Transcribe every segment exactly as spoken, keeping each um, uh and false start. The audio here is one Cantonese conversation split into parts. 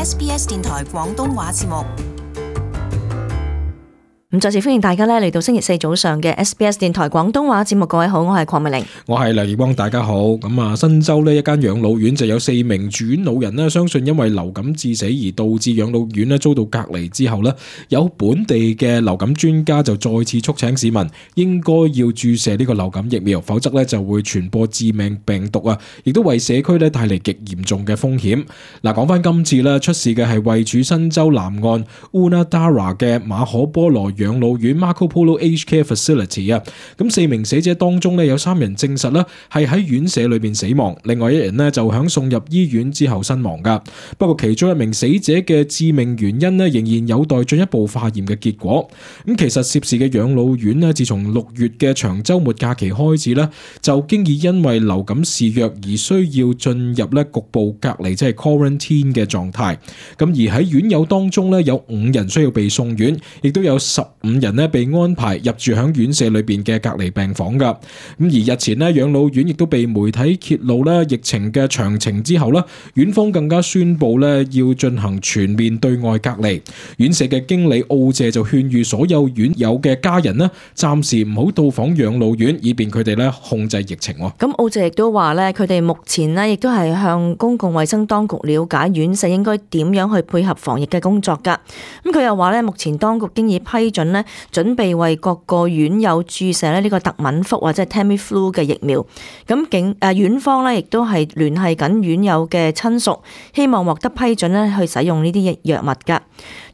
S B S 電台廣東話節目。咁再次歡迎大家咧嚟到星期四早上嘅 S B S 電台廣東話節目。各位好，我係鄺美玲，我係梁業光，大家好。咁啊，新州呢一間養老院就有四名住院老人呢，相信因為流感致死而導致養老院呢遭到隔離之後呢，有本地嘅流感專家就再次促請市民應該要注射呢個流感疫苗，否則呢就會傳播致命病毒啊，亦都為社區呢帶嚟極嚴重嘅風險。嗱，講翻今次呢，出事嘅係位處新州南岸 Unadara 嘅馬可波羅養老院 Marco Polo Aged Care Facility 啊，咁四名死者當中咧有三人證實咧係喺院舍裏邊死亡，另外一人咧就響送入醫院之後身亡噶。不過其中一名死者嘅致命原因咧仍然有待進一步化驗嘅結果。咁其實涉事嘅養老院咧，自從六月嘅長週末假期開始咧，就經已因為流感肆虐而需要進入咧局部隔離，即係 quarantine 嘅狀態。咁而喺院友當中咧有五人需要被送院，亦都有十五人咧被安排入住響院舍裏邊嘅隔離病房噶。咁而日前咧養老院亦都被媒體揭露咧疫情嘅詳情之後咧，院方更加宣布咧要進行全面對外隔離。院舍嘅經理奧謝就勸喻所有院友嘅家人咧，暫時唔好到訪養老院，以便佢哋咧控制疫情。咁奧謝亦都話咧，佢哋目前咧亦都係向公共衛生當局了解院舍應該點樣去配合防疫嘅工作噶。咁佢又話咧，目前當局經已批准咧，準備為各個院友注射咧呢個特敏福或者係 Tamiflu 嘅疫苗。咁警誒院方咧亦都係聯繫緊院友嘅親屬，希望獲得批准咧去使用呢啲藥物噶。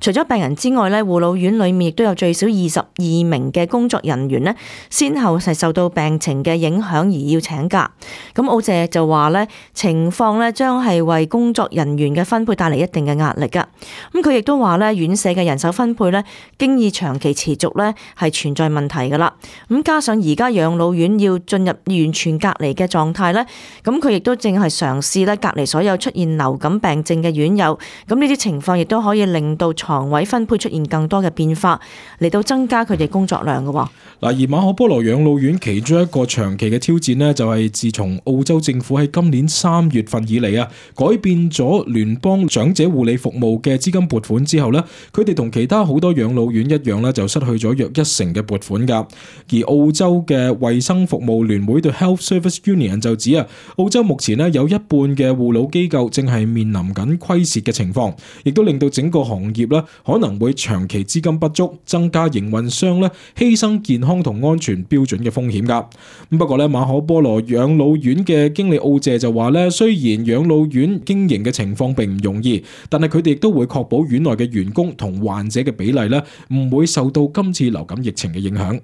除咗病人之外咧，護老院裏面亦都有最少二十二名嘅工作人員咧，先後係受到病情嘅影響而要請假。咁奧謝就話咧，情況咧將係為工作人員嘅分配帶嚟一定嘅壓力噶。咁佢亦都話咧，院舍嘅人手分配咧，經已長期持續咧係存在問題噶啦。咁加上而家養老院要進入完全隔離嘅狀態咧，咁佢亦都正係嘗試咧隔離所有出現流感病症嘅院友。咁呢啲情況亦都可以令到床位分配出現更多嘅變化，嚟到增加佢哋工作量嘅。嗱，而馬可波羅養老院其中一個長期嘅挑戰呢，就係自從澳洲政府喺今年三月份以嚟啊，改變咗聯邦長者護理服務嘅資金撥款之後呢，佢哋同其他好多養老院一樣呢，就失去咗約一成嘅撥款噶。而澳洲嘅衛生服務聯會對 Health Service Union 就指啊，澳洲目前呢有一半嘅護老機構正係面臨緊虧蝕嘅情況，亦都令到整個行業呢可能會長期資金不足，增加營運商呢犧牲健康同安全標準嘅風險噶。咁不過呢，馬可波羅養老院嘅經理奧謝就話呢，雖然養老院經營嘅情況並唔容易，但係佢哋亦都會確保院內嘅員工同患者嘅比例呢唔會受到今次流感疫情嘅影響。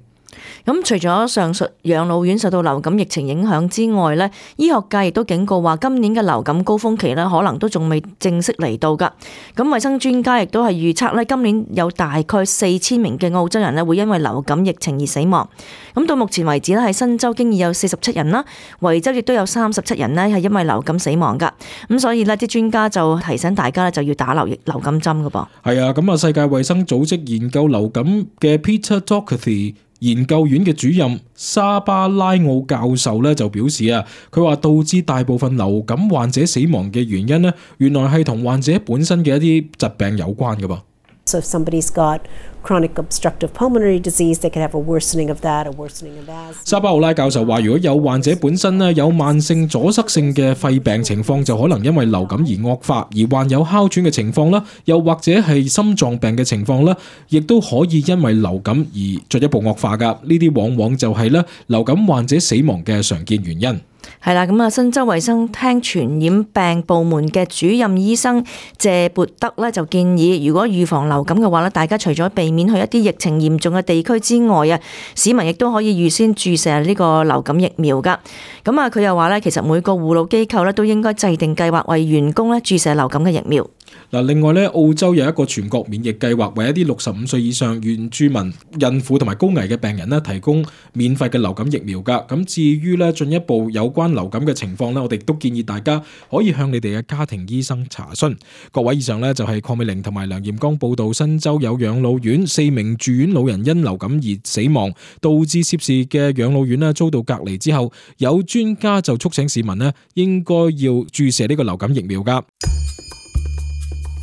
咁除咗上述養老院受到流感疫情影響之外咧，醫學界亦都警告話，今年嘅流感高峰期咧，可能都仲未正式嚟到噶。咁衛生專家亦都係預測咧，今年有大概四千名嘅澳洲人咧會因為流感疫情而死亡。咁到目前為止咧，喺新州經已有四十七人啦，維州亦都有三十七人咧係因為流感死亡噶。咁所以呢啲專家就提醒大家咧，就要打流流感針噶噃。係啊，咁啊，世界衛生組織研究流感嘅 Peter Doherty研究院嘅主任沙巴拉奧教授咧就表示啊，佢話導致大部分流感患者死亡嘅原因呢，原來係同患者本身嘅一啲疾病有關㗎噃。So if somebody's got chronic obstructive pulmonary disease, they could have a worsening of that, a worsening of asthma. 沙巴奧拉教授話，如果有患者本身呢有慢性阻塞性嘅肺病情況，就可能因為流感而惡化；而患有哮喘嘅情況啦，又或者係心臟病嘅情況啦，亦都可以因為流感而進一步惡化噶。呢啲往往就係咧流感患者死亡嘅常見原因。係啦，咁啊，新州衛生廳傳染病部門嘅主任醫生謝勃德咧就建議，如果預防流感嘅話咧，大家除咗避免去一啲疫情嚴重嘅地區之外啊，市民亦都可以預先注射呢個流感疫苗噶。咁啊，佢又話咧，其實每個護老機構咧都應該制定計劃為員工咧注射流感嘅疫苗。嗱，另外咧，澳洲有一個全國免疫計劃，為一啲六十五歲以上原住民、孕婦同埋高危嘅病人咧，提供免費嘅流感疫苗噶。咁至於咧進一步有關流感嘅情況咧，我哋都建議大家可以向你哋嘅家庭醫生查詢。各位，以上咧就係鄺美玲同埋梁艷剛報道，新州有養老院四名住院老人因流感而死亡，導致涉事嘅養老院咧遭到隔離之後，有專家就促請市民咧應該要注射呢個流感疫苗噶。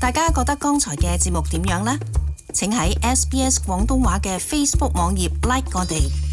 大家覺得剛才嘅節目點樣呢？請喺 S B S 廣東話嘅 Facebook 網頁 like 我哋。